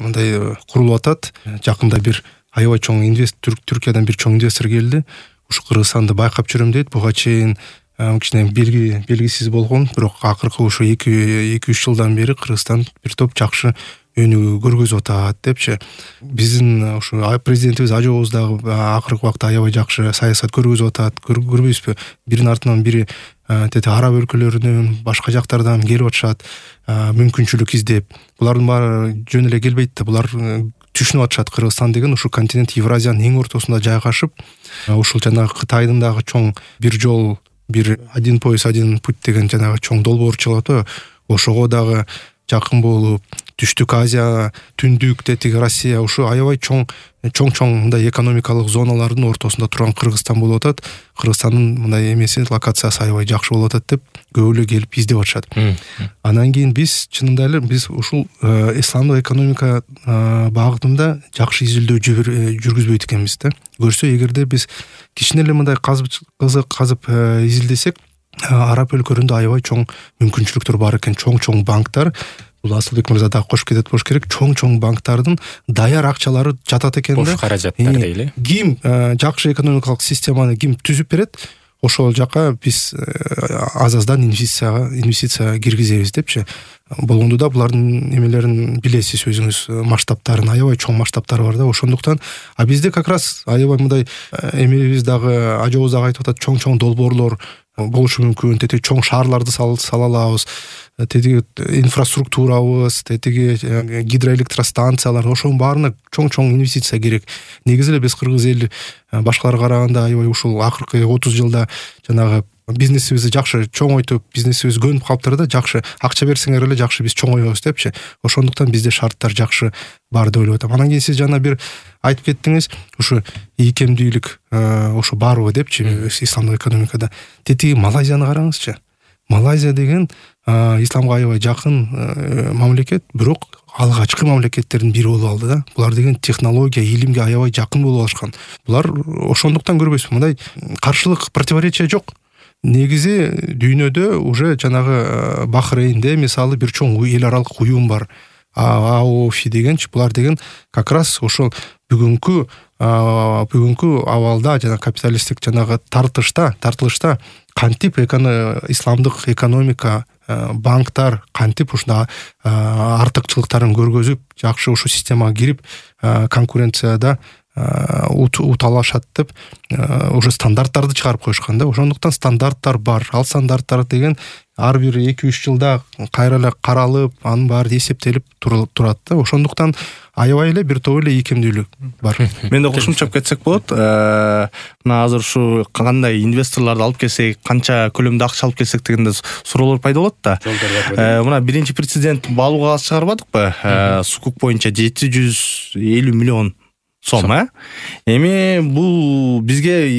мындай курулуп атат. Жакында бир аябай чоң инвестор, Түркиядан бир чоң инвестор келди. Ушу Кыргызстанды байкап жүрөм дейт. Буга чейин кичине белги белгисиз болгон, бирок акыркы ушу эки үч жылдан бери Кыргызстан бир топ жакшы өнүгүү көргөзүп атат депчи. Биздин ушу президентибиз Ажообуз дагы акыркы убакта аябай жакшы саясат көргөзүп атат. Көрбөйсүзбү? Биринин артынан бири тети араб өлкөлөрүнөн, башка жактардан келип атышат, мүмкүнчүлүк издеп. Булардын баары жөн эле келбейт да. Булар түшүнүп атышат Кыргызстан деген ушу континент Евразиянын эң ортосунда жайгашып, ушул жанагы Кытайдын дагы чоң бир жол, бир один пояс, один путь деген жанагы чоң долбоор чыгып атат. Ошого дагы жакын болуп, Түштүк Азия, Түндүк, тетиги Россия, ушу аябай чоң чоң-чоң мындай экономикалык зоналардын ортосунда турган Кыргызстан болуп атат. Кыргызстандын мындай эмеси, локациясы аябай жакшы болуп атат деп көп эле келип издеп атышат. Анан кийин биз чынында эле биз ушул исламдык экономика багытында жакшы изилдөө жүргүзбөйт экенбиз да. Көрсө, эгерде биз кичине эле мындай казып кызык казып изилдесек, араб өлкөлөрүндө аябай чоң мүмкүнчүлүктөр бар экен. Чоң-чоң банктар, бул Асылбек мырза да кошуп кетет болуш керек, чоң-чоң банктардын даяр акчалары жатат экен да. Бош каражаттар дейли. Ким жакшы экономикалык системаны ким түзүп берет, ошол жака биз аз-аздан инвестицияга инвестиция киргизебиз депчи. Болгондо да булардын эмелерин билесиз өзүңүз, масштабтарын, аябай чоң масштабтары бар да. Ошондуктан а бизде как раз аябай мындай эмебиз дагы, Ажообуз дагы айтып атат, чоң-чоң долбоорлор болушу мүмкүн, тетиги чоң шаарларды сала алабыз, тетиги инфраструктурабыз, тетиги гидроэлектростанциялар, ошонун баарына чоң-чоң инвестиция керек. Негизи эле биз кыргыз эл башкаларга караганда аябай ушул акыркы отуз жылда жанагы бизнесибизди жакшы чоңойтуп, бизнесибиз көнүп калыптыр да, жакшы акча берсеңер эле жакшы биз чоңойбуз депчи. Ошондуктан бизде шарттар жакшы бар деп ойлоп атам. Анан кийин сиз жана бир айтып кеттиңиз, ушу ийкемдүүлүк ошо барбы депчи исламдык экономикада. Тетиги Малайзияны караңызчы. Малайзия деген исламга аябай жакын мамлекет, бирок алгачкы мамлекеттердин бири болуп алды да. Булар деген технология, илимге аябай жакын болуп алышкан. Булар ошондуктан көрбөйсүзбү, мындай каршылык, противоречие жок. Негизи дүйнөдө уже жанагы Бахрейнде мисалы бир чоң эл аралык уюм бар. АОФ дегенчи, булар деген как раз ошол бүгүнкү бүгүнкү абалда жана капиталисттик жанагы тартышта, тартылышта кантип исламдык экономика, банктар кантип ушунда артыкчылыктарын көргөзүп, жакшы ушу системага кирип, конкуренцияда уталашат деп уже стандарттарды чыгарып коюшкан да. Ошондуктан стандарттар бар. Ал стандарттар деген ар бир эки үч жылда кайра эле каралып, анын баары эсептелип турат да. Ошондуктан аябай эле бир топ эле ийкемдүүлүк бар. Мен да кошумчап кетсек болот. Мына азыр ушу кандай инвесторлорду алып келсек, канча көлөмдө акча алып келсек дегенде суроолор пайда болот да. Мына биринчи президент баалуу кагаз чыгарбадыкпы? Сукук боюнча жети жүз элүү миллион сом, э? Эми бул бизге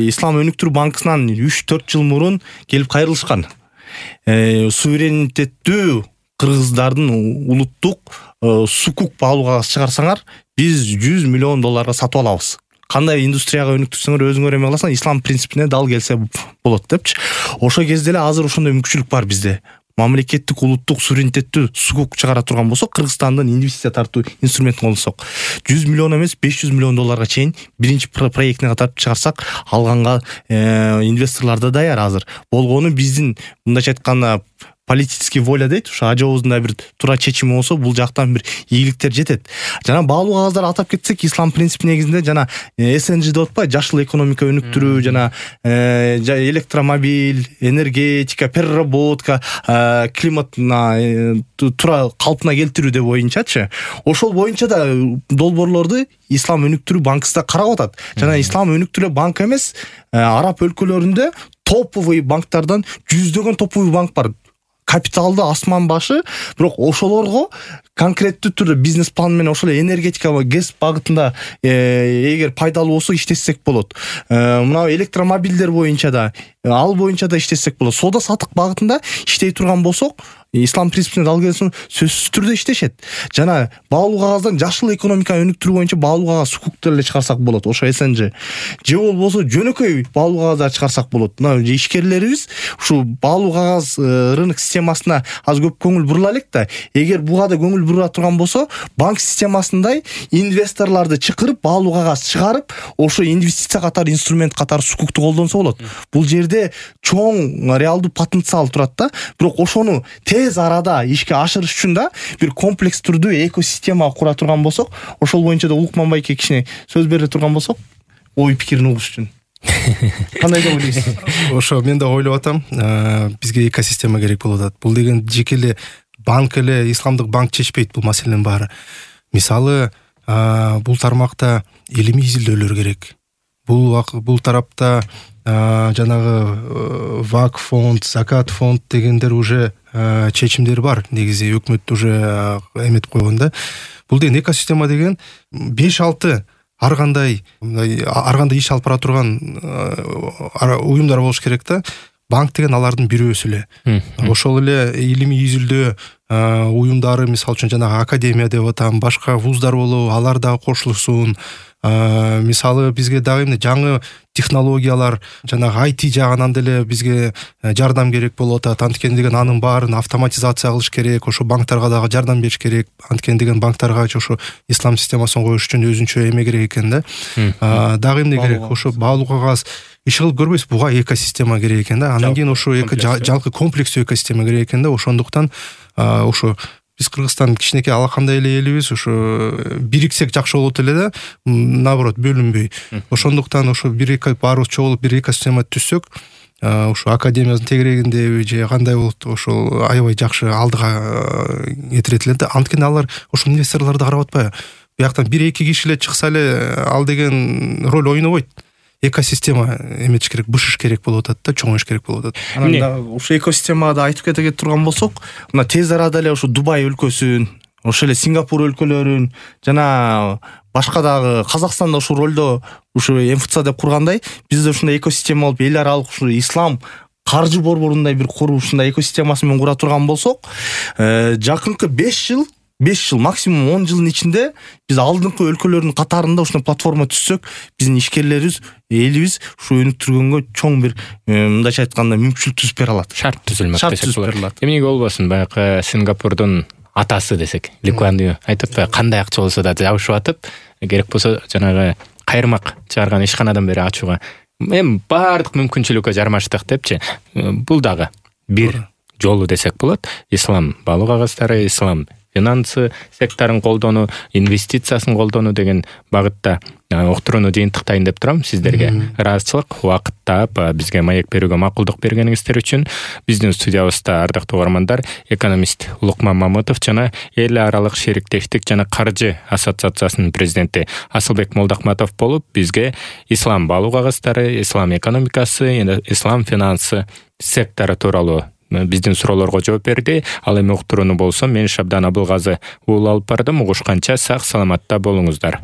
Ислам өнүктүрүү банкысынан үч төрт жыл мурун келип кайрылышкан. Суверенитеттүү кыргыздардын улуттук сукук баалуу кагаз чыгарсаңар, биз жүз миллион долларга сатып алабыз. Кандай индустрияга өнүктүрсөңөр өзүңөр эме кыласың, ислам принципине дал келсе болот депчи. Ошо кезде эле азыр ошондой мүмкүнчүлүк бар бизде. Мамлекеттик улуттук суверенитеттүү сукук чыгара турган болсок, Кыргызстандын инвестиция тартуу инструментин колдонсок, жүз миллион эмес беш жүз миллион долларга чейин биринчи проектине катарып чыгарсак, алганга инвесторлор да даяр азыр. Болгону биздин мындайча айтканда политический воля дейт, ушу Ажообуздун да бир туура чечими болсо, бул жактан бир ийгиликтер жетет. Жана баалуу кагаздар атап кетсек, ислам принципи негизинде жана эс эн джи деп атпайбы, жашыл экономика өнүктүрүү, жана электромобиль, энергетика, переработка, климатына туура калпына келтирүү деп боюнчачы. Ошол боюнча да долбоорлорду Ислам өнүктүрүү банкасы да карап атат. Жана Ислам өнүктүрүү банк эмес, араб өлкөлөрүндө топовый банктардан жүздөгөн топовый банк бар. Капиталды асман башы, бирок ошолорго конкреттүү түрдө бизнес план менен ошол энергетика ва газ багытында эгер пайдалуу болсо иштесек болот. Мына электромобилдер боюнча да, ал боюнча да иштесек болот. Соода саттык багытында иштей турган болсок, ислам принципине дал келсин сөзсүз түрдө иштешет. Жана баалуу кагаздан жашыл экономиканы өнүктүрүү боюнча баалуу кагаз сукуктар эле чыгарсак болот, ошо СНЖ. Же болбосо жөнөкөй баалуу кагаздар чыгарсак болот. Мына ишкерлерибиз ушу баалуу кагаз рынок системасына аз көп көңүл бурула элек да. Эгер буга да көңүл бурула турган болсо, банк системасындай инвесторлорду чакырып, баалуу кагаз чыгарып, ошо инвестиция катары инструмент катары сукукту колдонсо болот. Бул жерде чоң реалдуу потенциал турат да. Бирок ошону тез арада ишке ашырыш үчүн да бир комплекс түрдүү экосистема кура турган болсок, ошол боюнча да Улукман байке кичине сөз бере турган болсок, ой пикирин угуш үчүн. Кандай деп ойлойсуз? Ошо мен да ойлоп атам, бизге экосистема керек болуп атат. Бул деген жеке эле банк эле, исламдык банк чечпейт бул маселенин баары. Мисалы, бул тармакта илимий изилдөөлөр керек. Бул бул тарапта жанагы вак фонд, закат фонд дегендер уже чечимдер бар. Негизи өкмөт уже эметип койгон да. Бул деген экосистема деген беш алты ар кандай ар кандай иш алып бара турган уюмдар болуш керек да. Банк деген алардын бирөөсү эле. Ошол эле илимий изилдөө уюмдары, мисалы үчүн жанагы академия деп атам, башка вуздар болобу, алар дагы кошулсун. Мисалы бизге дагы эмне жаңы технологиялар, жанагы ай ти жагынан деле бизге жардам керек болуп атат. Анткени деген анын баарын автоматизация кылыш керек, ошо банктарга дагы жардам бериш керек. Анткени деген банктарга ошо ислам системасын коюш үчүн өзүнчө эме керек экен да. Дагы эмне керек? Ошо баалуу кагаз иш кылып көрбөйсүз, буга экосистема керек экен да. Андан кийин ошо жалпы комплекстүү экосистема керек экен да. Ошондуктан ошо биз Кыргызстан кичинекей алакандай эле элибиз, ошо бириксек жакшы болот эле да, наоборот бөлүнбөй. Ошондуктан ошо бир эки баарыбыз чогулуп бир экосистема түзсөк, ошо академиянын тегерегинде же кандай болот, ошол аябай жакшы алдыга этирет эле да. Анткени алар ошо инвесторлорду карап атпайбы? Бияктан бир эки киши эле чыкса эле ал деген роль ойнобойт. Экосистема эметиш керек, бышыш керек болуп атат да, чоңоюш керек болуп атат. Анан ошо экосистемада айтып кете турган болсок, мына тез арада эле ошо Дубай өлкөсүн, ошо эле Сингапур өлкөлөрүн, жана башка дагы Казакстанда ошол ролдо ушу МФЦ деп кургандай, бизде ушундай экосистема болуп, эл аралык ушу ислам каржы борборундай бир куруп ушундай экосистемасы менен кура турган болсок, жакынкы беш жыл беш жыл, максимум он жылдын ичинде биз алдыңкы өлкөлөрдүн катарында ушундай платформа түзсөк, биздин ишкерлерибиз, элибиз ушу өнүктүргөнгө чоң бир мындайча айтканда мүмкүнчүлүк түзүп бере алат. Шарт түзүлмөк десек болот. Эмнеге болбосун, баягы Сингапурдун атасы десек, Ли Куан Ю айтып атпайбы, кандай акча болсо да жабышып атып, керек болсо жанагы кайырмак чыгарган ишканадан бери ачууга эми баардык мүмкүнчүлүккө жармаштык депчи. Бул дагы бир жолу десек болот. Ислам баалуу кагыздары, ислам финансы секторун колдонуу, инвестициясын колдонуу деген багытта уктурууну жыйынтыктайын деп турам. Сиздерге ыраазычылык, убакыт таап бизге маек берүүгө макулдук бергениңиздер үчүн. Биздин студиябызда ардактуу угармандар, экономист Улукман Мамытов жана эл аралык шериктештик жана каржы ассоциациясынын президенти Асылбек Молдохматов болуп, бизге ислам баалуу кагыздары, ислам экономикасы, ислам финансы сектору тууралуу биздин суроолорго жооп берди. Ал эми уктурууну болсо мен Шабдан Абылгазы уул алып бардым. Угушканча сак саламатта болуңуздар.